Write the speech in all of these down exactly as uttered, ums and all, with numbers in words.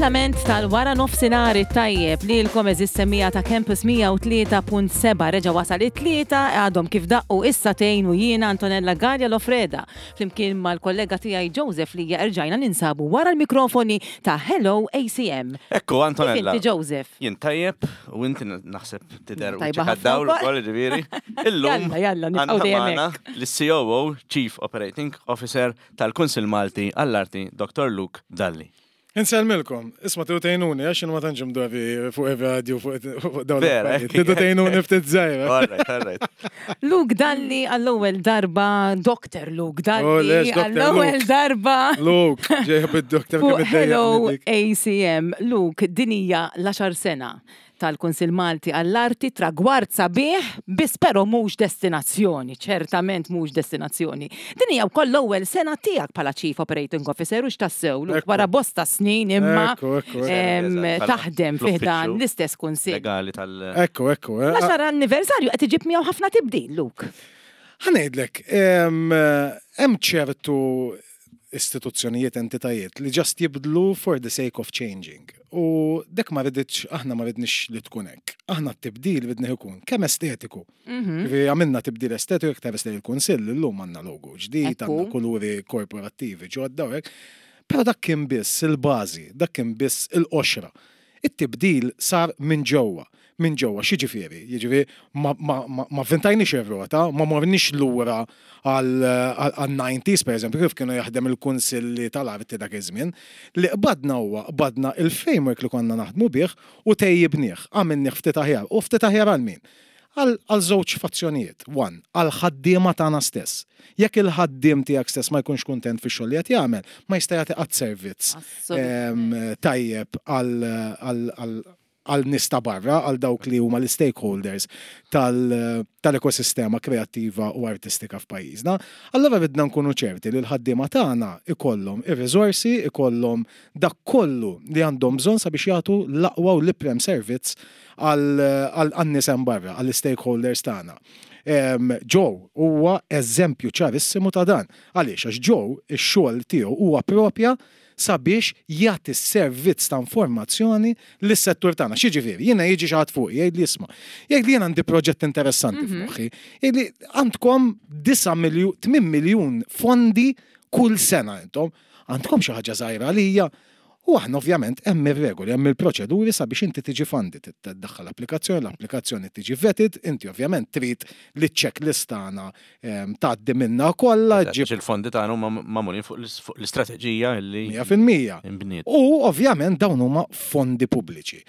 Il-kumplament tal-wara nofsinhar tajjeb lilkom, għeżież semmiegħa ta' Campus mija u tlieta punt seba'. Reġa' wasal it-tlieta, għadhom kif daqqu is-sagħtejn u jiena Antonella Gallia Lofreda flimkien mal-kollega tiegħi Joseph li erġajna ninsabu wara l-mikrofoni ta' Hello A C M. Ekku, Antonella. Kif inti, Joseph? Jien tajjeb u inti naħseb tidher u Tajba ħafna dawl wkoll. ukoll, ġifieri. Illum Jalla, jalla, nibqgħu għandna dejjem magħna hekk. l-C O O, Chief Operating Officer tal-Kunsil Malti għall-Arti, Doctor Luke Dalli. Insellmilkom, isma', tridu tgħinuni, għax ma tantx mdorri fuq il-radio, fuq fuq dawn Vera, l-affarijiet. Tridu tgħinuni ftit żgħira. All right, all right. Luke Dalli għall-ewwel darba, Doctor Luke Oh, Dalli lex, Doctor għall-ewwel Luke. darba Luke, ġejja bid-doktor fuq kemm Hello iddejjaqni dik. A C M. Luke, din hija l-għaxar sena tal-Kunsil Malti għall-Arti, tragward sabiħ, biss però mhux destinazzjoni, ċertament mhux destinazzjoni. Din hija wkoll l-ewwel sena tiegħek bħala Chief Operating Officer u x'tassew, Luke, Ekku. wara bosta snin imma Ekku, ekku, ekku. em, Eżatt, bħala taħdem fi ħdan fl-uffiċċju l-istess kunsil. Legali tal- Ekku, ekku. eh. L-għaxar anniversarju qed iġib miegħu ħafna tibdil, Luke. Ħa ngħidlek, em, hemm ċertu istituzzjonijiet, entitajiet li just jibdlu for the sake of changing. U dek ma riditx, aħna ma ridnix li tkun hekk. Aħna t-tibdil ridni jkun kemm estetiku. Ġifieri għamilna tibdil estetiku, iktar li l-kunsill illum għandna logo ġdid, Ekku. għandna kuluri korporattivi ġodda u hekk. Però dak kien biss il-bażi, dak kien biss il-qoxra. It-tibdil sar minn ġewwa. Minn ġewwa, x'jiġifieri? Jiġifieri ma, ma, ma, ma vvintajniex ir-rota, ma morniex lura għal-nineties, per eżempju, kif kienu jaħdem il-kunsilli tal-arti dak iż-żmien. Li qbadna huwa qbadna il-framework li konna naħdmu bih u tejjibnieh, għamilnieh ftit aħjar. U ftit aħjar għal min? Għal għal żewġ fazzjonijiet. One, għal ħaddiema tagħna stess. Jekk il-ħaddiem tiegħek stess ma jkunx kuntent fix-xogħol li qed jagħmel, ma jista' jagħti qatt servizz Assolutament. em, tajjeb għal għal- għal għal nies ta' barra, għal dawk li huma l-stakeholders tal- tal-ekosistema kreattiva u artistika f'pajjiżna. Allora ridna nkunu ċerti li l-ħaddiema tagħna ikollhom ir-riżorsi, ikollhom dak kollu li għandhom bżonn sabiex jagħtu l-aqwa u l-iprem servizz għal għan-nies hemm barra, għall-stakeholders tagħna. Em, Joe huwa eżempju ċarissimu ta' dan. Għaliex? Għax Joe ix-xogħol tiegħu huwa propja sabiex jagħti servizz ta' informazzjoni lis-settur tagħna. X'jiġifieri? Jiena jiġi xi ħadd fuq jgħid li isma'. Jgħid li jien għandi proġett interessanti f'moħħi. Jgħid li għandkom disa' miljun, tmien miljun fondi kull sena intom. Għandkom xi ħaġa żgħira għalija. U aħna ovvjament hemm ir-regoli, hemm il-proċeduri sabiex inti tiġi funded, tiddaħħal applikazzjoni, l-applikazzjoni tiġi vetted, inti ovvjament trid li checklist tagħna em, tgħaddi minna kollha, Għax ġib il-fondi tagħna huma magħmulin fuq l- fuq l-istrateġija li mija fil-mija. imbniet. U ovvjament dawn huma fondi pubbliċi.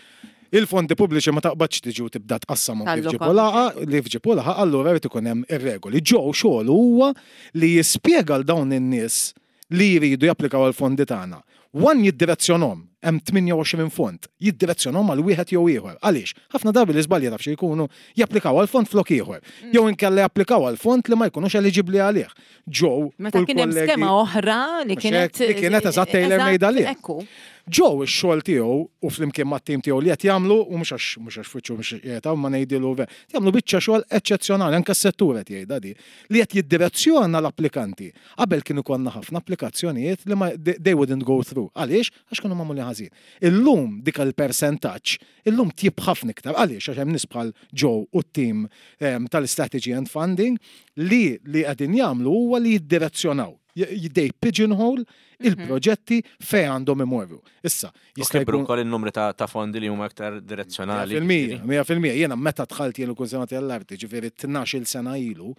Il-fondi pubbliċi ma taqbadx tiġi u tibda tqassamhom kif Talloka. ġibu laqa, li fġibu laqa, allura jrid ikun hemm ir-regoli. Joe xogħol huwa li jispjega l dawn in-nies li jridu japplikaw għal fondi tagħna. One, jiddirezzjonhom, hemm tmienja u għoxrin fond, jiddirezzjonhom għal wieħed jew ieħor. Għaliex? Ħafna drabi li żbalji taf xi jkunu japplikaw għal fond flok ieħor. Jew inkella japplikaw għal fond li ma jkunux eliġibbli għalih. Joe Meta u kien hemm l-kollegi- skema oħra li Mhux kienet hekk, li kienet eżatt tailor-made għalih. Ekku. Joe ix-xogħol tiegħu u flimkien mat-tim tiegħu li qed jagħmlu, u mhux għax mhux għax fuċċu mhux qiegħed hawn ma ngħidilu ve. Jagħmlu biċċa xogħol eċċezzjonali, anke s-settur qed jgħidha di, li qed jiddirezzjona l-applikanti. Qabel kienu konna ħafna applikazzjonijiet li ma they they wouldn't go through. Għaliex? Għax kienu magħmulin ħażin. Illum dik il-percentaġġ illum tjib ħafna iktar. Għaliex? Għax hemm nies bħal Joe u t-tim em, tal-Strategy and Funding li li qegħdin jagħmlu huwa li jiddirezzjonaw. J- They pigeonhole il-proġetti fejn għandhom imorru. Issa, U jista' kibru jkun wkoll in-numri ta' ta' fondi li huma aktar direzzjonali. Mija fil-mija, mija fil-mija. Jiena meta dħalt jien il-Kunsill tal-Arti, ġifieri tnax-il sena ilu,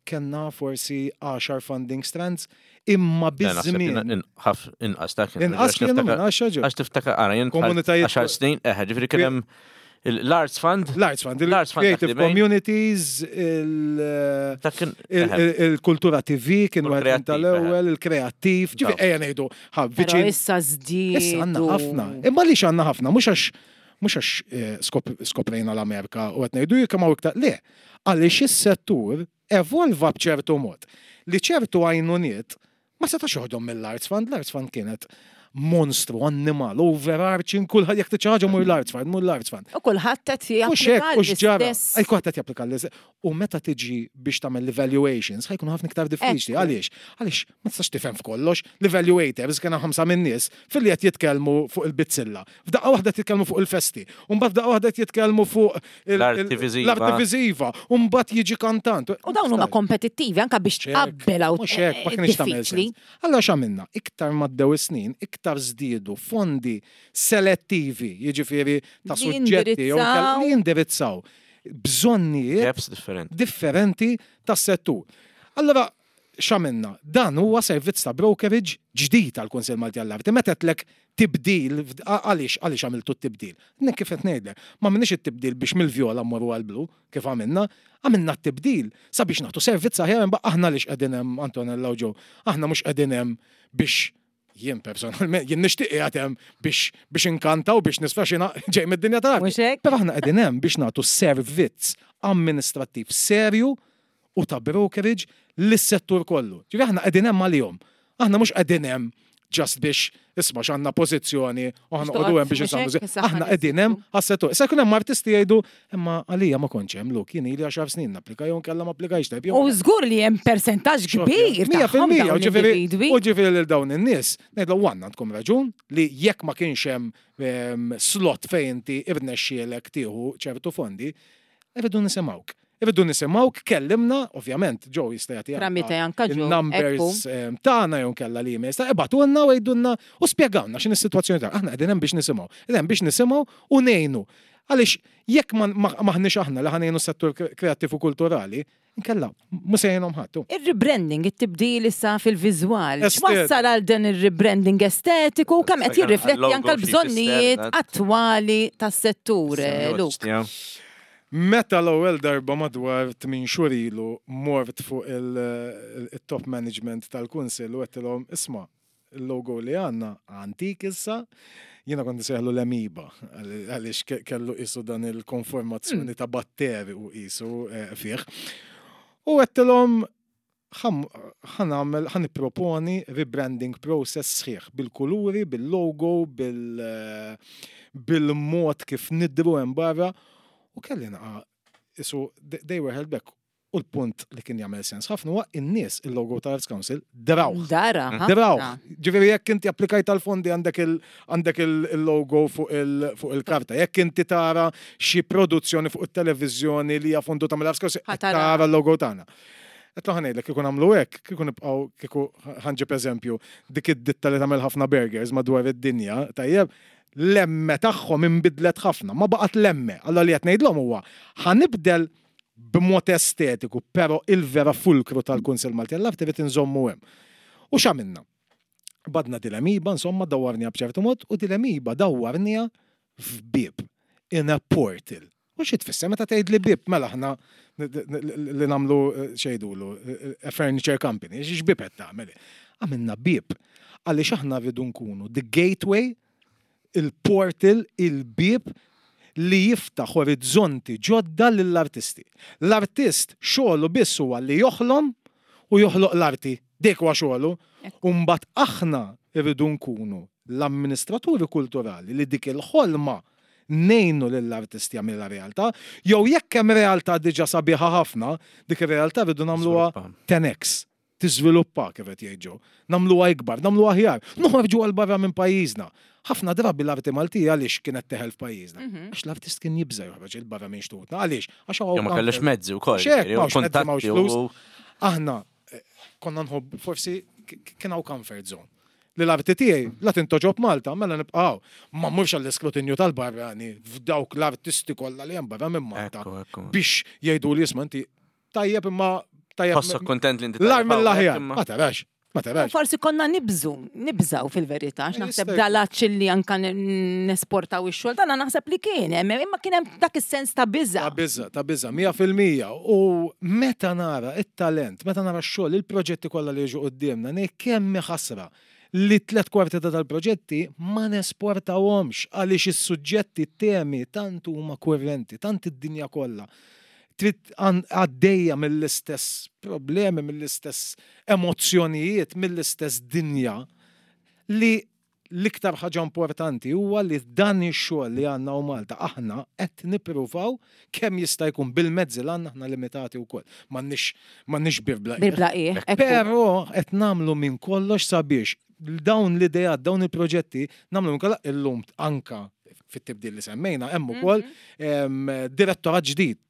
kellna forsi għaxar funding strands, imma biż-żmien. Ħaf inqas ta' kien. Inqas kienu minn għaxar ġew. Għax tiftakar ara jien Komunitajiet- għaxar snin, eħe, ġifieri kien hemm l-Arts Fund. L-Arts Fund, L-Arts Fund il-Creative dak li bejn. Communities, il- Dak kien il- eħe, il- il-Kultura T V kien U wieħed minn l-kreattiv, tal-ewwel, il-kreattiv, ġifieri Daw. ejja ngħidu, ħa Però viċin. issa żdiedu. Issa għandna ħafna. Imma li għandna ħafna, mhux għax mhux għax eh, skop- skoprejna l-Amerika u qed ngħidu jekk hawn iktar. Le, għaliex is-settur evolva b'ċertu mod li ċertu għajnuniet ma setax joħdom mill-Arts Fund, l-Arts Fund kienet Monstru, annimal, overarching, kulħadd jekk trid xi ħaġa mur l-Arts Fund, mur l-Arts Fund. U kulħadd qed U xek, japplika u xġara. l-istess. Ej, kulħadd qed japplika l-istess. U meta tiġi biex tagħmel l-evaluations, ħa jkunu ħafna iktar diffiċli. Ekku. Għaliex? Għaliex ma tistax tifhem f'kollox. L-evaluators kien hemm ħamsa minn nies filli qed jitkellmu fuq il-bizzilla. F'daqqa waħda qed jitkellmu fuq il-festi. U mbagħad f'daqqa waħda qed jitkellmu fuq il- L-arti il- viżiva. L-arti viżiva. U mbagħad jiġi kantant. U dawn huma kompetittivi anka biex Ċek, tqabbel hawn mhux hekk, ma kienx tagħmel diffiċli. sens. Allora x'għamilna? Iktar m'għaddew is-snin, iktar żdiedu fondi selettivi, jiġifieri ta' Li suġġetti jew jindirizzaw. li jindirizzaw bżonnijiet Gaps differenti. differenti tas-settur. Allora, x'għamilna? Dan huwa servizz ta' brokerage ġdid tal-Kunsill Malti għall-Arti. Meta tlek tibdil, għaliex għaliex għamiltu t-tibdil? Nek kif qed ngħidlek, ma għamilniex it-tibdil biex mill-vjola mmorru għall-blu, kif għamilna, għamilna t-tibdil sabiex nagħtu servizz aħjar imma aħna lix qegħdin hemm Antonella u Joe, aħna mhux qegħdin hemm biex jien personalment, jien nixtieq qiegħed hemm biex biex inkanta u biex nisfaxina ġej mid-dinja tal-arti. Mhux hekk? Però aħna qegħdin hemm biex nagħtu servizz amministrattiv serju u ta' brokerage lis-settur kollu. Ġifieri aħna qegħdin hemm għalihom. Aħna mhux qegħdin hemm just biex isma' x'għandna pożizzjoni u aħna Biex qogħdu hemm biex toqgħod insammu. mhux hekk, issa Aħna ħares qegħdin hemm għas-settur. Issa jkun hemm artisti jgħidu imma għalija ma kontx hemm luk, jien ili għaxar snin napplika jew nkella ma applikajx tajb. jew U żgur li hemm persentaġġ kbir Mija tagħhom fil-mija, dawn u ġifieri- l-individwi. U ġifieri lil dawn in-nies, ngħidlu għandna għandkom raġun li jekk ma kienx hemm ehm, slot fejn inti irnexxielek tieħu ċertu fondi, irridu nisimgħuk. Irridu nisimgħuk, kellimna, ovvjament, Joe jista' jagħti Tramite anka Joe, il-numbers ehm, tagħna jew nkella l-emails ta' ibagħtulna u għidulna u spjegawna x'inhi s-sitwazzjoni tagħna. Aħna qegħdin hemm biex nisimgħu. Qegħdin hemm biex nisimgħu u ngħinu. Għaliex jekk ma- ma- maħniex aħna li ħa ngħinu s-settur kreattiv u kulturali, nkella mhux se jgħinhom ħadd. Ir-rebranding, it-tibdil issa fil-viżwal. Estet- X'wassal għal dan ir-rebranding estetiku u kemm qed jirrifletti Għal-logo anke xi l-bżonnijiet jfisser, attwali tas-settur, eh, Luke. Meta l-ewwel darba madwar tmien xhur ilu mort fuq il-top management tal-kunsill u għedtilhom isma' il-logo li għandna antik issa, jiena kont nsejħlu l-emiba, għaliex ke- kellu qisu dan il-konformazzjoni ta' batteri u qisu eh, fih. U għedtilhom ħa nagħmel, ħa nipproponi rebranding process sħiħ bil-kuluri, bil-logo, bil- eh, bil-mod kif nidru hemm barra. U kelli naqa, isu, they they were held back. U l-punt li kien jagħmel sens ħafna huwa in-nies il-logo ta' Arts Council drawh. Dara, ħafna. Drawh. Ġifieri jekk inti applikajt tal-fondi għandek il- għandek il- il-logo fuq il- fuq il-karta. Jekk inti tara xi produzzjoni fuq it-televiżjoni li hija fonduta mill-Arts Council, Ħa tara. tara l-logo tagħna. Qed ħa ngħidlek kieku nagħmlu hekk, kieku nibqgħu kieku ħa nġib eżempju dik id-ditta li tagħmel ħafna burgers madwar id-dinja, tajjeb, l-M tagħhom inbidlet ħafna, ma baqgħet l-M. Allora li qed ngħidlhom huwa ħa nibdel b'mod estetiku, però il-vera fulkru tal-Kunsill Malti għall-Arti trid inżommu hemm. U x'għamilna? Badna dil-emiba, insomma, dawwarniha b'ċertu mod, u dil-emiba dawwarniha f'bib, in a portal. U xi tfisser meta tgħid li bib, mela aħna li nagħmlu eh, xejdulu, eh, a furniture company, x'bib qed tagħmel? Għamilna bib. Għaliex aħna rridu nkunu the gateway, il-portal, il-bib li jiftaħ orizzonti ġodda lill-artisti. L-artist xogħlu biss huwa li joħlom u joħloq l-arti. Dik huwa xogħlu. U mbagħad aħna rridu nkunu l-amministraturi kulturali li dik il-ħolma ngħinu lill-artisti jagħmilha realtà, jew jekk hemm realtà diġà sabiħa ħafna, dik ir-realtà rridu nagħmluha Żviluppa. ten x. Tiżviluppa kif qed jgħid Joe. Nagħmluha ikbar, nagħmluha aħjar, noħorġu għal barra minn pajjiżna. Ħafna drabi l-arti Maltija għaliex kienet teħel f'pajjiżna. Għax l-artist kien jibża joħroġ il barra minn xtutna. Għaliex? Għax Jew ma kellux mezzi wkoll. Xek, ġifieri, u m'hawnx mezzi, m'hawnx kuntatti flus. u- Aħna eh, konna nħobb forsi k- kien hawn comfort zone. Li l-arti tiegħi la tintogħġob Malta, mela nibqgħu. Ma mmurx għall-iskrutinju tal-barrani f'dawk l-artisti kollha li hemm barra minn Malta Ekku, ekku. biex jgħidu li isma' inti tajjeb imma tajjeb. Tħossok kontent li inti L-ar tajjeb mill-aħjar. hawnhekk, imma- Ma tarax, ma tarax. Forsi konna nibżu, nibżaw fil-verità, għax naħseb Jista' dal-għatx li anka n- nesportaw ix-xogħol, dana naħseb li kien, hemm, imma kien hemm dak is-sens ta' biża. Ta' biża, ta' biża, mija fil-mija. U meta nara it-talent, meta nara x-xogħol, il-proġetti kollha li jiġu quddiemna, ngħid kemm hi ħasra li tlet kwarti ta' tal-proġetti ma nesportawhomx għaliex is-suġġetti, temi tant huma kurrenti, tant id-dinja kollha. Trid għan- għaddejja mill-istess problemi, mill-istess emozzjonijiet, mill-istess dinja li L-iktar ħaġa importanti huwa li dan ix-xogħol li għandna u Malta aħna qed nippruvaw kemm jista' jkun bil-mezzi li għandna, aħna limitati wkoll. M'għandniex m'għandniex bir bla qiegħ. Bir bla qiegħ, ekku. Però qed nagħmlu minn kollox sabiex dawn l-ideat, dawn il-proġetti nagħmlu minn kollox. Illum anka fit-tibdil li semmejna hemm ukoll em, direttorat ġdid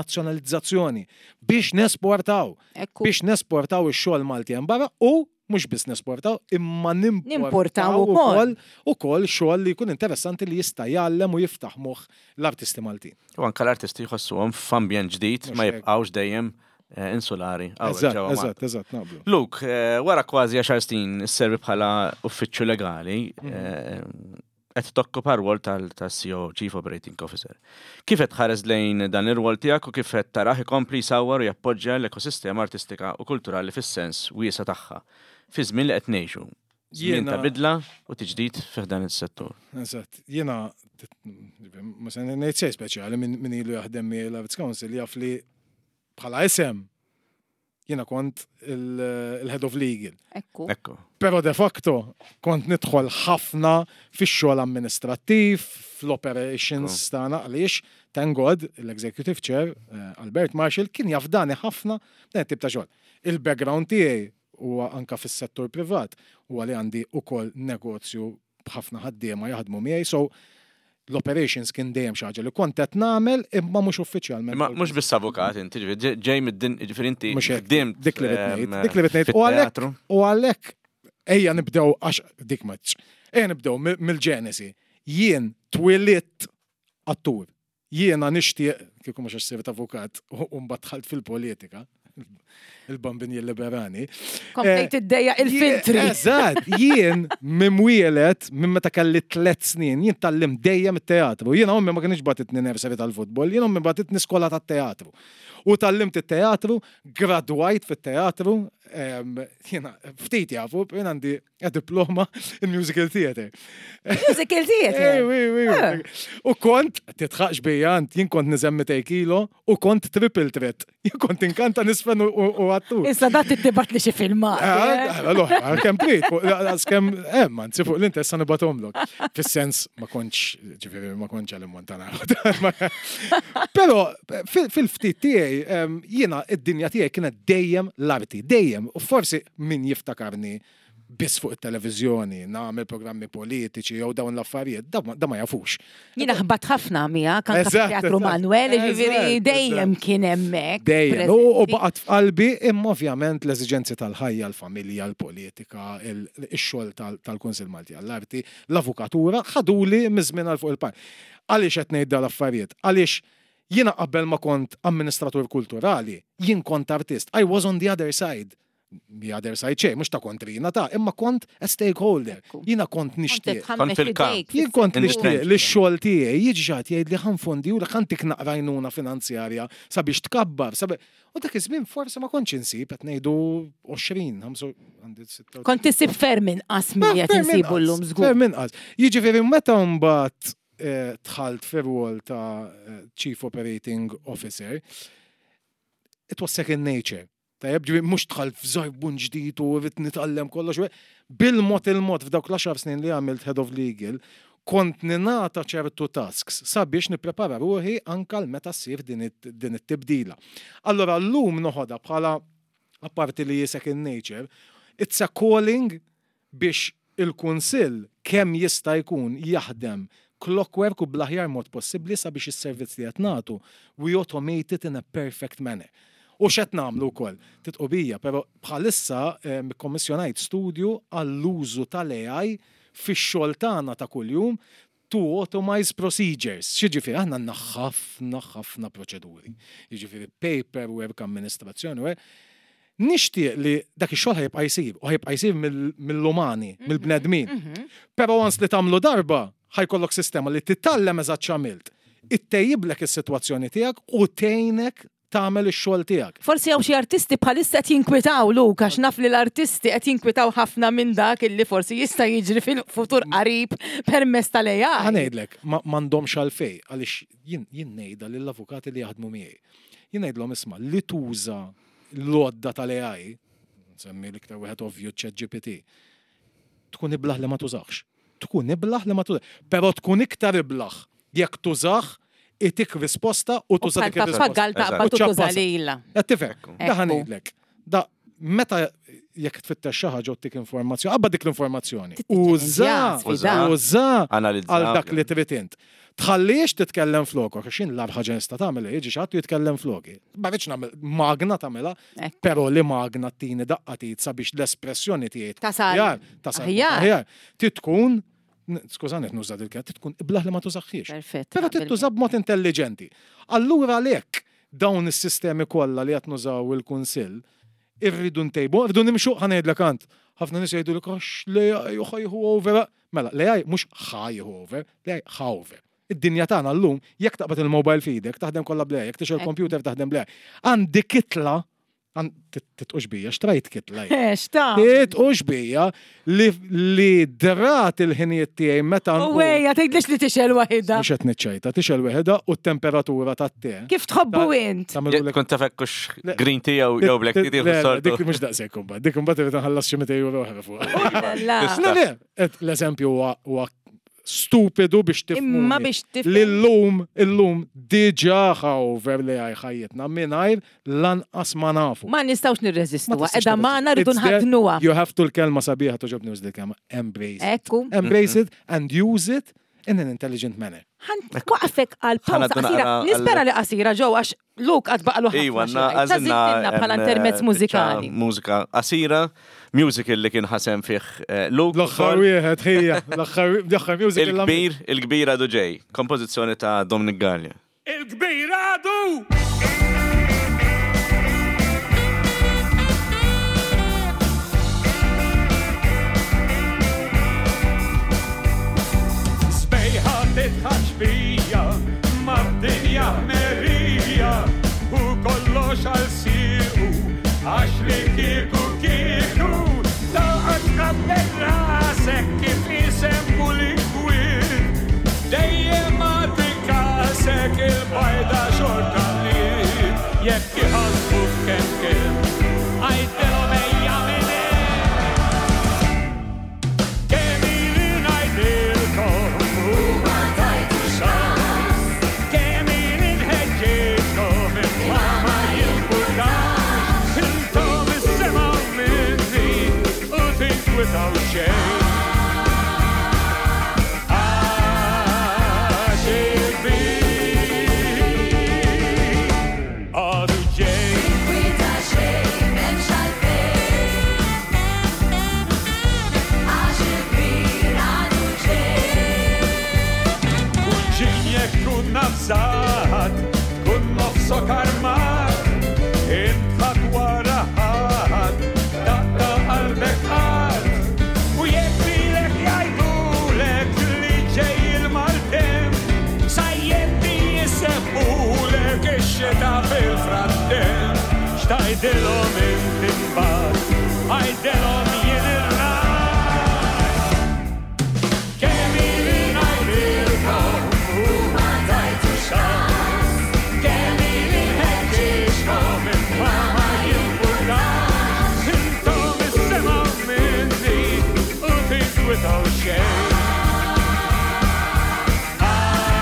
tal-internazzjonalizzazzjoni biex nesportaw Ekku. biex nesportaw ix-xogħol Malti hemm barra u mhux biss nesportaw imma Nimportaw nimportaw ukoll. ukoll ukoll xogħol li jkun interessanti li jista' jgħallem u jiftaħ moħħ l-artisti Maltin. U anka l-artisti jħossuhom f'ambjent ġdid, ma Mhux hekk. jibqgħux dejjem eh, insulari hawnhekk Eżatt, ġewwa Malta. eżatt, eżatt, naqblu. Luke, eh, wara kważi għaxar snin isservi bħala uffiċċju legali, eh, qed tokkupa rwol tal-C O O, Chief Operating Officer. Kif qed tħares lejn dan ir-rwol tiegħek u kif qed tarah ikompli jsawwar u jappoġġja l-ekosistema artistika u kulturali fis-sens wiesa tagħha fi żmien li qed ngħixu? Żmien Jiena- ta' bidla u tiġdid fih dan is-settur. Eżatt, jiena ma se ngħid xejn speċjali, min min ilu jaħdem miegħi l-Arts Council jaf li bħala isem jiena kont il- il-head of legal. Ekku. Ekku. Pero de facto kont nidħol ħafna fix-xogħol amministrattiv, fl-operations tagħna, għaliex thank God l-executive chair eh, Albert Marshall kien jafdani ħafna dan it-tip ta' xogħol. Il-background tiegħi huwa anka fis-settur privat, huwa li għandi ukoll negozju b'ħafna ħaddiema jaħdmu miegħi, so l-operations kien dejjem xi ħaġa li kont qed nagħmel imma mhux uffiċjalment. Imma mhux biss avukat inti, ġifieri ġej mid-din, ġifieri inti Mhux hekk, ħdimt dik li rid ngħid, ehm, dik li rid ngħid. U għalhekk fit-teatru. u għalhekk ejja nibdew, għax dik maċ. Ejja nibdew mill- mill-ġenesi. Jien twilidt attur. Jiena nixtieq, kieku mhux għax sirt avukat u mbagħad dħalt fil-politika, il-Bambin jilliberani. Komplejt iddejja il-filtri. Eżatt, jien mimwielet minn meta kelli tliet snin, jien tgħallimt dejjem it-teatru. Jiena ommi ma kienx bagħtitni nursery tal-futbol, jien ommi bagħtitni skola tat-teatru. U tgħallimt it-teatru, gradwajt fit-teatru, em, jiena ftit jafu, jien għandi diploma in musical theater. Musical theater. Ej, wi, wi, wi. U kont, titħaqx bija, ant, jien kont niżen mitejn kilo u kont triple threat. Jien kont inkanta, niżfen u- u u attur. Issa dat tibgħat li xi filmat. Ah, Allora, kemm trid, fuq- kemm hemm, anzi fuq l-interess nibgħathomlok. Fis-sens ma kontx, ġifieri ma kontx għal Montana. Però fil- fil-ftit tiegħi em, jiena id-dinja tiegħi kienet dejjem l-arti, dejjem. U forsi min jiftakarni biss fuq it-televiżjoni, nagħmel programmi politiċi jew dawn l-affarijiet, da ma- da ma jafux. Jiena ħbat ħafna miegħek anke Eżatt, fit-Teatru eżatt. Manuel, ġifieri Eżatt, dejjem eżatt. kien hemmhekk. Dejjem. U u preżenti. baqgħet f'qalbi, imma ovvjament l-eżiġenzi tal-ħajja, l-familja, l-politika, il- ix-xogħol tal- tal-Kunsill Malti għall-Arti, l-avukatura, ħaduli miż-żmien għal fuq il-par. Għaliex qed ngħid dal-affarijiet? Għaliex jiena qabel ma kont amministratur kulturali, jien kont artist. I was on the other side. The other side xejn, mhux ta' kontrina ta' imma kont a stakeholder. Ekku. Jiena kont Kont nixtieq. titħammex Kont fil-kamp. idejk. Jien kont In the nixtieq trench. li x-xogħol tiegħi jiġi xi ħadd jgħid li ħa nfondi u ħa ntik naqra għajnuna finanzjarja sabiex tkabbar. sabi- U dak iż-żmien forsi ma kontx insib, qed ngħidu għoxrin, ħamsu, għandi sitta- Kont tisib ferm inqas milli qed Ferm insibu inqas, llum żgur. Ferm inqas. Jiġifieri meta mbagħad eh, dħalt fir-rwol ta' eh, Chief Operating Officer, it was second nature. Tajjeb, ġifieri mhux dħalt f'żarbun ġdid u rrid nitgħallem kollox. Bil-mod il-mod f'dawk l-għaxar snin li għamilt Head of Legal, kont ninata ċertu tasks sabiex nipprepara ruħi anka l meta ssir din it- din it-tibdila. Allora llum noħodha bħala, apparti li second nature, it's a calling biex il-Kunsill kemm jista' jkun jaħdem clockwork u bl-aħjar mod possibbli sabiex is-servizz li qed nagħtu we automate it in a perfect manner. U x'qed nagħmlu wkoll? Tidħqu bija, però bħalissa eh, kommissjonajt studju għall-użu tal-A I fix-xogħol tagħna ta' kuljum to automize procedures. Xiġifieri, aħna għandna ħafna ħafna proċeduri. Jiġifieri paperwork, amministrazzjoni, u nixtieq li dak ix-xogħol ħa jibqa' jsir u ħa jibqa' jsir mill- mill-umani, mill-bnedmin. Però once li tagħmlu darba, ħa jkollok sistema li titgħallem eżatt x'għamilt. Ittejjiblek is-sitwazzjoni tiegħek u tgħinek tagħmel ix-xogħol tiegħek. Forsi hawn xi artisti bħalissa qed jinkwitaw, Luke, għax naf li l-artisti qed jinkwitaw ħafna minn dak illi forsi jista' jiġri fil-futur qarib permezz tal-A I. Ħa ngħidlek, ma m'għandhomx għalfej, għaliex jien jien ngħidha lill-avukati li jaħdmu miegħi. Jien ngħidlhom, isma', li tuża l-għodda tal-A I, nsemmi l-iktar wieħed ovvju, ChatGPT, tkun iblaħ li ma tużax. Tkun iblaħ li ma tużax. Però tkun iktar iblaħ jekk tużah itik risposta u tuża dik ir-risposta. Pappagal taqbad u tuża lilha. Qed tifhem? Da Ekku. ngħidlek. Da meta jekk tfittex xi ħaġa u tik informazzjoni, qabba dik l-informazzjoni. Uża, Sfida. uża Analizza. għal dak li trid int. Tħallix titkellem flokok, għax jien l-agħar ħaġa nista' tagħmel jiġi xi ħadd jitkellem floki. Ma rridx nagħmel magna tagħmilha, Ekku. però li magna tini daqqa tit sabiex l-espressjoni tiegħi tkun Tasal. aħjar, tasal Aħjar. aħjar. Trid tkun, skużani qed nuża dil-kelma, trid tkun iblaħ li ma tużaħħiex. Perfett. Però trid tuża b'mod intelligenti. Allura għalhekk dawn is-sistemi kollha li qed nużaw il-Kunsill irridu ntejbu, irridu nimxu ħa ngħidlek ant. Ħafna nies jgħidu lek għax l-A I ħa jieħu over. Mela, l-A I mhux ħa jieħu over, l-A I ħa over. Id-dinja tagħna llum jekk taqbad il-mobile f'idek taħdem kollha bl-A I, jekk tixgħel computer taħdem bl-A I. Għandi kitla, titqux bija, xtrajt kitla jien. Xta. Titqux bija li, li drat il-ħinijiet tiegħi meta U nqum. wejja, tgħidlix li tixel waħida. Mhux qed niċċajta, tixgħel weħeda u t-temperatura tat-te. Kif tħobbu int? Tagħmlu Kont taf hekkux Le. green tea jew jew black tea tieħu Le, le, sortu. Dik mhux daqshekk imbagħad, dik imbagħad irid nħallas xi mitej euro oħra fuq. La. Le, le, et l-eżempju huwa huwa stupidu biex tifhmu. Imma biex tifhem. Li llum, illum diġà ħa over li għaj ħajjitna mingħajr lanqas ma nafu. Ma nistgħux nirreżistuha. Ma tistax Edha magħna rridu It's there. nħadnuha. You have to l-kelma sabiħa toġobni uż kelma embrace. it. Ekku. Embrace it and use it in an intelligent manner. Ħan waqfek għal pawza Ħanaddu qasira. naqra għal- Nispera li qasira ġew għax Luke għad baqalu ħafna. Iwa, xi għanna jgħid. għazinna Tażiltilna bħala em, intermezz biċċa mużikali. Mużika qasira, musical li kien ħasem fih eh, Luke. L-aħħar ukoll. wieħed ħija, l-aħħar l-aħħar music Il-kbir, il-kbir għadu ġej, kompożizzjoni ta' Dominic Gallia. Il-kbir għadu! Sbejħa titħax bija, mad-dinja merija, u kollox għal siqu, għax li kieku kieku, taqgħod tqabbel rasek kif isemmu l-inkwiet. Dejjem għati kasek il-bajda xorta li jekk iħasbu kemm kemm, għajdilhom ejja minn hemm. Kemm ili ngħidilkom u ma tajtux xans, kemm ili nħeġġitkom imma ma jimpurtax, intom issemgħu minni u tinkwitaw xejn. Għax il-kbir għadu ġej. Kwita xejn m'hemmx għalfejn. Għax il-kbir għadu ġej. Kuġin jekk tkun nafsat, tkun nofsok armat, intħat wara ħadd, taqta' qalbek qatt. U jekk lilek jgħidulek li ġej il-maltemp, sajjetti jisemmulek ix-xita fil-frattemp. X'tgħidilhom inti mbagħad, għajdilhom jien ir-raj. Kemm ili ngħidilkom u ma tajtux xans, kemm ili nħeġġiġkom imma ma jimpurtax, intom issemgħu minni u tinkwitaw xejn.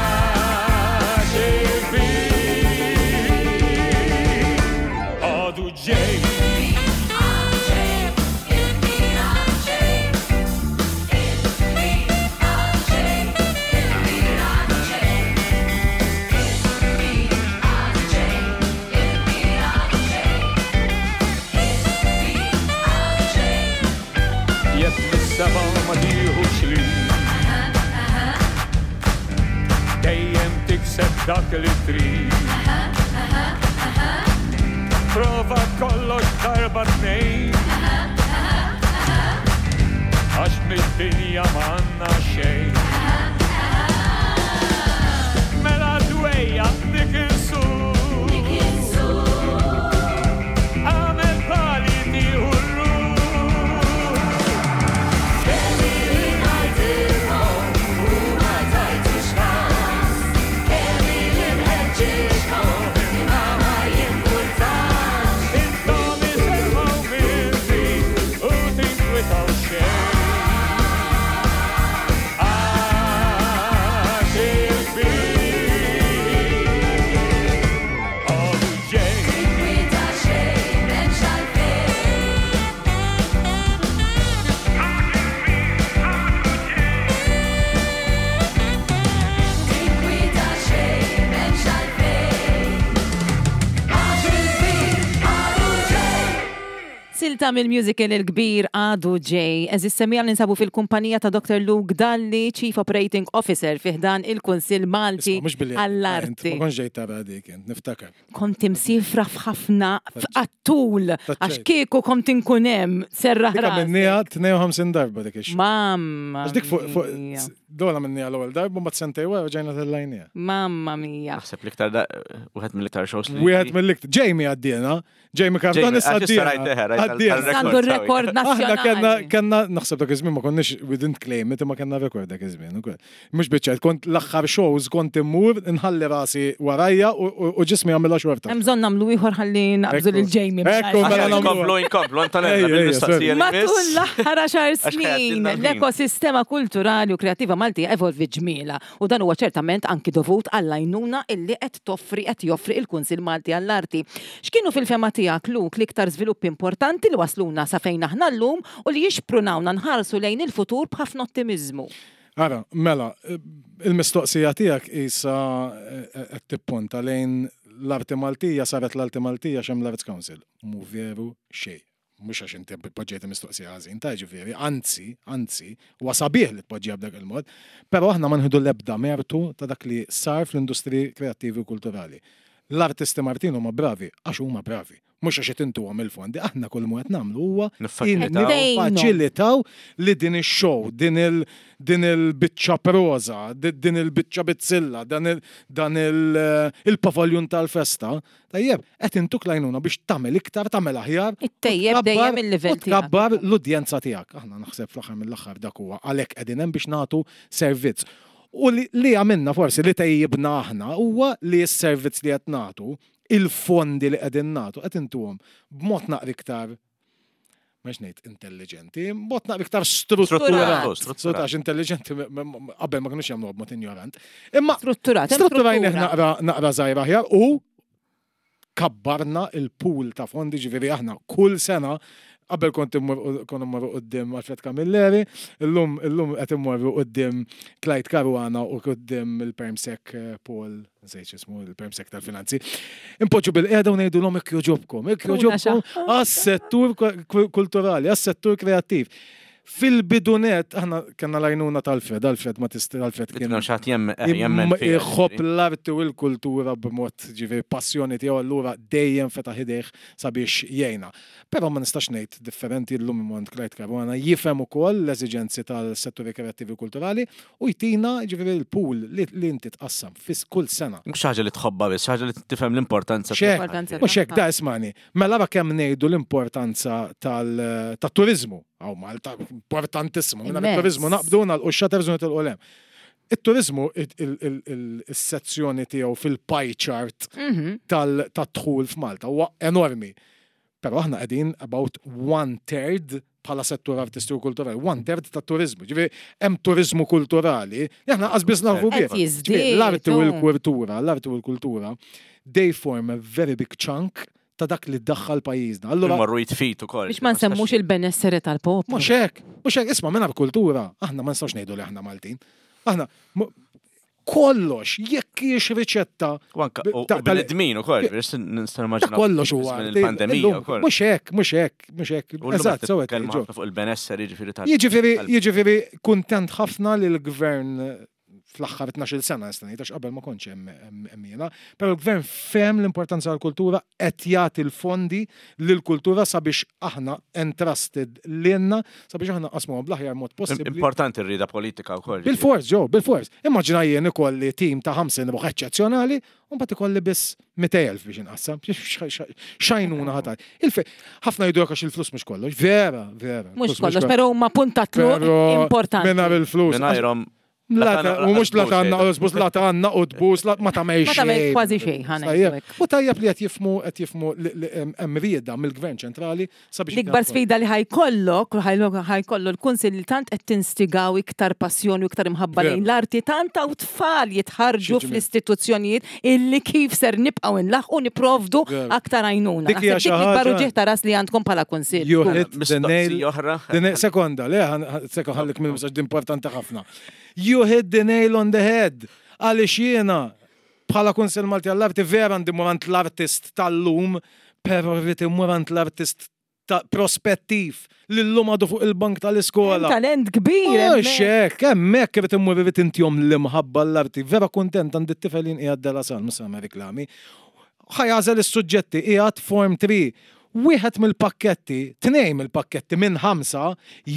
Għax il-kbir għadu ġej. Il-kbir għadu ġej. Il-kbir għadu ġej. Il-kbir għadu ġej. Il-kbir għadu ġej. Il-kbir għadu ġej. Il-kbir għadu ġej. Jekk mis-seba ma tieħux li dejjem tikseb dak li trid. Prova kollox darba tnejn għax mid-dinja m'għandna xejn. Mela dwejja dik insur għamel pali tieħu r-ruħ. Kemm ili ngħidilkom u ma tajtux kas, kemm ili nħeġġiġkom imma ma jimpurtax. Intom isemgħu minni u tinkwitaw xejn. Silta mill-musical il-kbir Għadu Ġej. Għeżież semmiegħa, ninsabu fil-kumpanija ta' Doctor Luke Dalli, Chief Operating Officer fi ħdan il-Kunsill Malti Isma, mhux billi għall-Arti. Ma kontx ġejt tara dik int, niftakar. Kont imsifra f'ħafna f'għat-tul, għax kieku kont inkun hemm serraħ Dik rasi. għamilnieha tnejn u ħamsin darba dik ix. Mamma Għax dik fuq fuq mia. dola minnija l-ewwel darba, ma sentej wara ġejna tellajnija. Mamma mia. Naħseb l-iktar da- wieħed mill-iktar shows li. Wieħed mill-iktar. Jamie għaddiena, Jamie Cardone Jamie, għax issa rajt eħe, rajt għaddiena. tal- Għandu Rekord rekord Aħna kellna nazzjonali. kellna naħseb dak iż-żmien ma konniex, we didn't claim it, imma kellna rekord dak iż-żmien ukoll. Mhux biċċa, kont l-aħħar shows kont immur nħalli rasi warajja u- u u ġismi għamilha xorta. Hemm bżonn nagħmlu ieħor ħalli naqbżu Ekku. lil Jamie. Ekku, mela Aħjar nagħmlu. Inkomplu, inkomplu, Antonella, Ejja, ejja, bil-mistoqsija li Matul miss. l-aħħar għaxar Għax snin, ħajgħaddilna l-ħin. l-ekosistema kulturali u kreativa Maltija evolvi ġmiela u dan huwa ċertament anki dovut għall-għajnuna illi qed toffri qed joffri il-Kunsill Malti għall-Arti. X'kienu fil-fehma tiegħek, Luke, l-iktar żviluppi importanti li wasluna sa fejn aħna llum u li jixprunawna nħarsu lejn il-futur b'ħafna ottimiżmu? Ara, mela, il-mistoqsija tiegħek isa qed tipponta lejn l-arti Maltija saret l-arti Maltija xem l-Arts Council. Mu veru xejn. Mhux għax inti poġġejt mistoqsija ħażin, ta' ġifieri, anzi, anzi, huwa sabiħ li tpoġġiha b'dak il-mod, però aħna ma nħidu l-ebda mertu ta' dak li sar fl-industri kreattivi u kulturali. L-artisti Maltin huma bravi, għax huma bravi. Mhux għax qed intuhom il-fondi, aħna kull mu qed nagħmlu huwa Niffaċilitaw. niffaċilitaw li din ix-show, din il din il-biċċa proza, di- din il-biċċa bizzilla, dan il dan il il-pavaljun tal-festa, tajjeb, qed intuk l-għajnuna biex tagħmel iktar, tagħmel aħjar. u Ittejjeb tkabbar- dejjem il-livell u Tkabbar l-udjenza tiegħek. Aħna naħseb fl-aħħar mill-aħħar dak huwa għalhekk qegħdin hemm biex nagħtu servizz. U li, li għamilna forsi li tejjibna aħna huwa li s-servizz li qed nagħtu, il-fondi li qegħdin nagħtu qed intuhom b'mod naqra iktar, mhux ngħid intelligenti, b'mod naqra iktar strutturat. Strutturat. Strutturat, intelligenti m- m- m- qabel ma kinux jagħmluha b'mod ignorant. Imma Strutturat, hemm strutturajnih struttura. naqra naqra żgħira aħjar u kabbarna il-pool ta' fondi, ġifieri aħna kull sena qabel kont immur kont immorru quddiem Alfred Camilleri, illum illum qed immorru quddiem Clyde Caruana u quddiem il-Permsec eh, Paul, nsejt ismu, il-Permsec tal-Finanzi. Impoġġu bil-qiegħda u ngħidulhom jekk joġobkom, jekk Tuna joġobkom għas-settur ku- kulturali, għas-settur kreattiv. Fil-bidunet, aħna kellna l-għajnuna tal-Alfred, Alfred ma tist Alfred kien Kien xi ħadd jemmen fiha, jħobb ġifieri. l-arti u l-kultura b'mod ġifieri passjoni tiegħu, allura dejjem fetaħ idejh sabiex jgħinna. Però ma nistax ngħid differenti, llum imont Clyde Caruana jifhem ukoll l-eżiġenzi tal-setturi kreattivi u kulturali u jtina ġifieri l-pool li, li inti tqassam fis kull sena. Mhux ħaġa li tħobbha biss, ħaġa li tifhem l-importanza. Xek, L-importanza mhux hekk tagħha. da ismani. Mela ra kemm ngħidu l-importanza tal- tat-turizmu. Aw Malta importantissimu. Minna Immens. turizmu naqbdu nagħlqu x-shutters u nitilqu lem. Il-turizmu, il-sezzjoni tiegħu fil-pie chart Mhm. tal-dħul f'Malta huwa enormi. Però aħna qegħdin about one third bħala settur artistiku kulturali, one third ta' turizmu. Ġifieri hemm turizmu kulturali, li aħna qas biss nafu bih. Qed jiżdied, Ġifieri, l-arti u oh. l-kultura, l-arti u l-kultura, they form a very big chunk ta' dak li daħħal pajjiżna. Allura, Imorru jitfit ukoll. Biex ma nsemmux il-benessere tal-poplu. mhux hekk, mhux hekk, isma' mingħajr kultura, aħna ma nistgħux ngħidu li aħna Maltin. Aħna mu- kollox, jekk hiex riċetta U anka u ta- u tal- bnedmin ukoll, biex nista' ta' nimmaġina. kollox huwa. Il-pandemija Illum, ukoll. Mhux hekk, mhux hekk, mhux hekk. U llum Eżatt, qed sewwa titkellmu ġo. ħafna fuq il-benesseri ġifieri tal. Jiġifieri, tal- jiġifieri kuntent ħafna li l-gvern fl-aħħar tnax-il sena nista' ngħid, għax qabel ma kontx hemm hemm- hemm jiena, però l-gvern fehem l-importanza tal-kultura, qed jagħti l-fondi lill-kultura sabiex aħna entrusted lilna sabiex aħna qasmuhom bl-aħjar mod possibbli. Importanti r-rida politika wkoll. Bil-fors, ġo, bil-fors. Immaġina jien ikolli tim ta' ħamsin ruħ eċċezzjonali, u mbagħad ikolli biss mitejn elf biex inqassam. Xajnuna ħatar. Ħafna jgħidu għax il-flus mhux kollox. Vera, vera. Mhux il-flus kollox, però huma puntatlu Però importanti. Mingħajr il-flus. Mingħajrhom La ta- U mhux la ta' u zbus la ta' għandna u tbus, la ma ta' Ma tagħmel xejn. kważi xejn, ħa ngħidu Tajjeb. hekk. U tajjeb li qed jifmu qed jifmu li- li hemm hemm rieda mill-Gvern ċentrali sabiex L-ikbar sfida li ħajkollok, ħajkollu l-kunsill li tant qed tinstigaw iktar passjoni u iktar imħabba Vera. lejn l-arti, tant hawn tfal jitħarġu Xi ġmiel. fl-istituzzjonijiet illi kif ser nibqgħu nlaħqu niprovdu Vera. aktar għajnuna. Dik hija Naħseb xi dik l-ikbar ħaġa- uġigħ ta' ras li għandkom bħala kunsill. You hit the nail. Mistoqsija oħra. The nail- Sekonda, le, ħan- ħan- sekonda, ħallik minn messaġġ importanti ħafna. You hit the nail on the head. Għaliex jiena bħala Kunsill Malti għall-Arti vera għandi mmur għand l-artist tal-lum, pero rrid immur għand l-artist ta' prospettiv li llum għadu fuq il-bank tal-iskola. Talent kbir. Mhux hemmhekk. hekk, hemmhekk irid immur irid intihom l-imħabba l-arti. Vera kuntent għandi t-tifel jien qiegħed De La Salle, mhux nagħmel reklami. Ħa jagħżel is-suġġetti qiegħed form three. Wieħed mill-pakketti, tnejn mill-pakketti minn ħamsa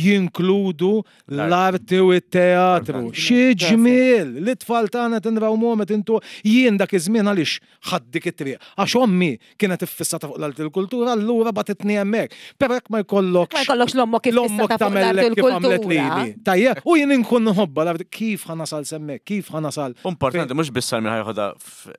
jinkludu l-arti u t-teatru. Xi ġmiel! Li tfal tagħna tinrawmuhom qed intu jien dak iż-żmien għaliex ħadt dik it-triq. Għax ommi kienet iffissata fuq l-arti u l-kultura, allura bagħtitni hemmhekk. Però jekk ma jkollokx Ma jkollokx l-ommok kif l-ommok fissata fuq l-arti tagħmellek u kif għamlet l-kultura. lili. Tajjeb, u jien inkun nħobba l-arti, kif ħa nasal s'hemmhekk, kif ħa nasal. Importanti, mhux biss għal min ħa jeħodha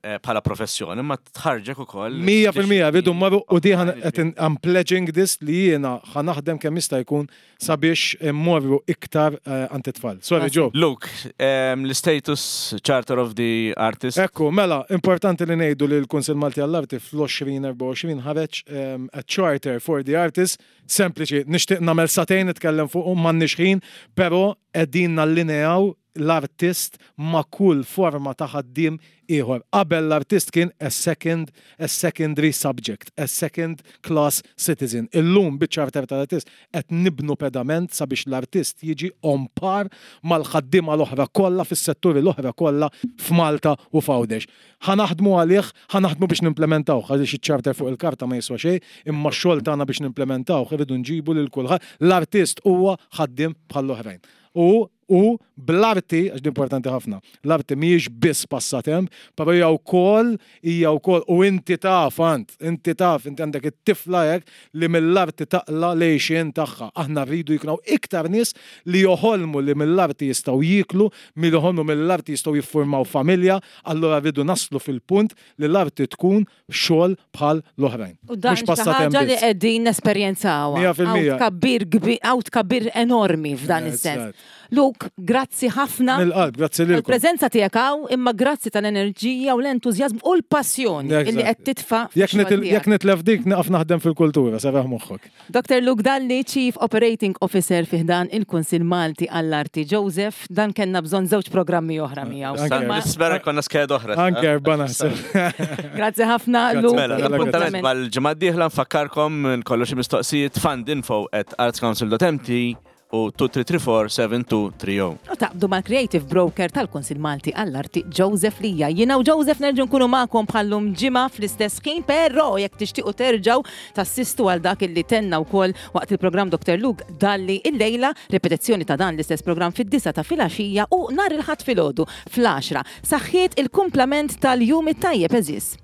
eh, bħala professjoni, ma tħarġek ukoll. Mija fil-mija, rridu marru u di ħan- qed in- I'm pledging this li jiena ħa naħdem kemm jista' jkun sabiex immorru iktar eh, għand it-tfal. Sorry, Joe. Luke, em, l-status Charter of the Artist. Ekku, mela, importanti li ngħidu li l-Kunsill Malti għall-Arti fl-elfejn u erbgħa u għoxrin ħareġ um, a Charter for the Artist, sempliċi, nixtieq nagħmel sagħtejn nitkellem fuq m'għandniex ħin, però qegħdin nallineaw l-artist ma' kull forma ta' ħaddiem ieħor. Qabel l-artist kien a second, a secondary subject, a second class citizen. Illum biċ-charter tal-artist qed nibnu pedament sabiex l-artist jiġi on par mal-ħaddiema l-oħra kollha fis-setturi l-oħra kollha f'Malta u f'Għawdex. Ħa naħdmu għalih, ħa naħdmu biex nimplementaw, għaliex iċ-charter fuq il-karta ma jiswa xejn, imma x-xogħol tagħna biex nimplementaw irridu nġibu lil kulħadd. L-artist huwa ħaddiem bħall-oħrajn. U u bl-arti, għax di importanti ħafna, l-arti mhijiex biss passatemp, però hija wkoll hija wkoll u inti taf ant, inti taf, inti għandek it-tifla hekk li mill-arti taqla l-għixien tagħha. Aħna rridu jkunu iktar nies li joħolmu li mill-arti jistgħu jiklu, milli joħolmu mill-arti jistgħu jiffurmaw familja, allura rridu naslu fil-punt li l-arti tkun xogħol bħal l-oħrajn. U dan Mhux xi passatemp ħaġa li biss. qegħdin nesperjenzawha. Mija fil-mija. Hawn tkabbir kbir, hawn tkabbir enormi f'dan is-sens. Eżatt. Luke, grazzi ħafna. Mill-qalb, grazzi lilkom. Il-preżenza tiegħek hawn, imma grazzi tal-enerġija u l-entużjażmu u l-passjoni Eżatt. illi qed titfa' Jekk fix-xogħol nitil- tiegħek. jekk nitlef dik, naqaf naħdem fil-kultura, serraħ moħħok. Dr. Luke Dalli, Chief Operating Officer fi ħdan il-Kunsill Malti għall-Arti. Joseph, dan kellna bżonn żewġ programmi oħra miegħu. Anke. Imma Nispera konna skeda oħra. Anke erba' naħseb. Grazzi ħafna, Grazzi. Luke. Mela, l-appuntament Appuntament. mal-ġimgħa d-dieħla nfakkarkom kollox mistoqsijiet fundinfo at artscouncil.mt u tlieta tlieta tlieta erba' seba' tnejn tlieta zero. U taqbdu mal-Creative Broker tal-Kunsill Malti għall-Arti Joseph Lija. Jiena u Joseph nerġgħu nkunu magħkom bħallum ġimgħa fl-istess ħin, però jekk tixtiequ terġgħu tassistu għal dak illi tenna wkoll waqt il-programm Dr. Luke Dalli illejla, ripetizzjoni ta' dan l-istess programm fid-disa ta' filgħaxija u nhar il-Ħadd filgħodu fl-għaxra. Saħħiet il-kumplament tal-jum it-tajjeb eżis.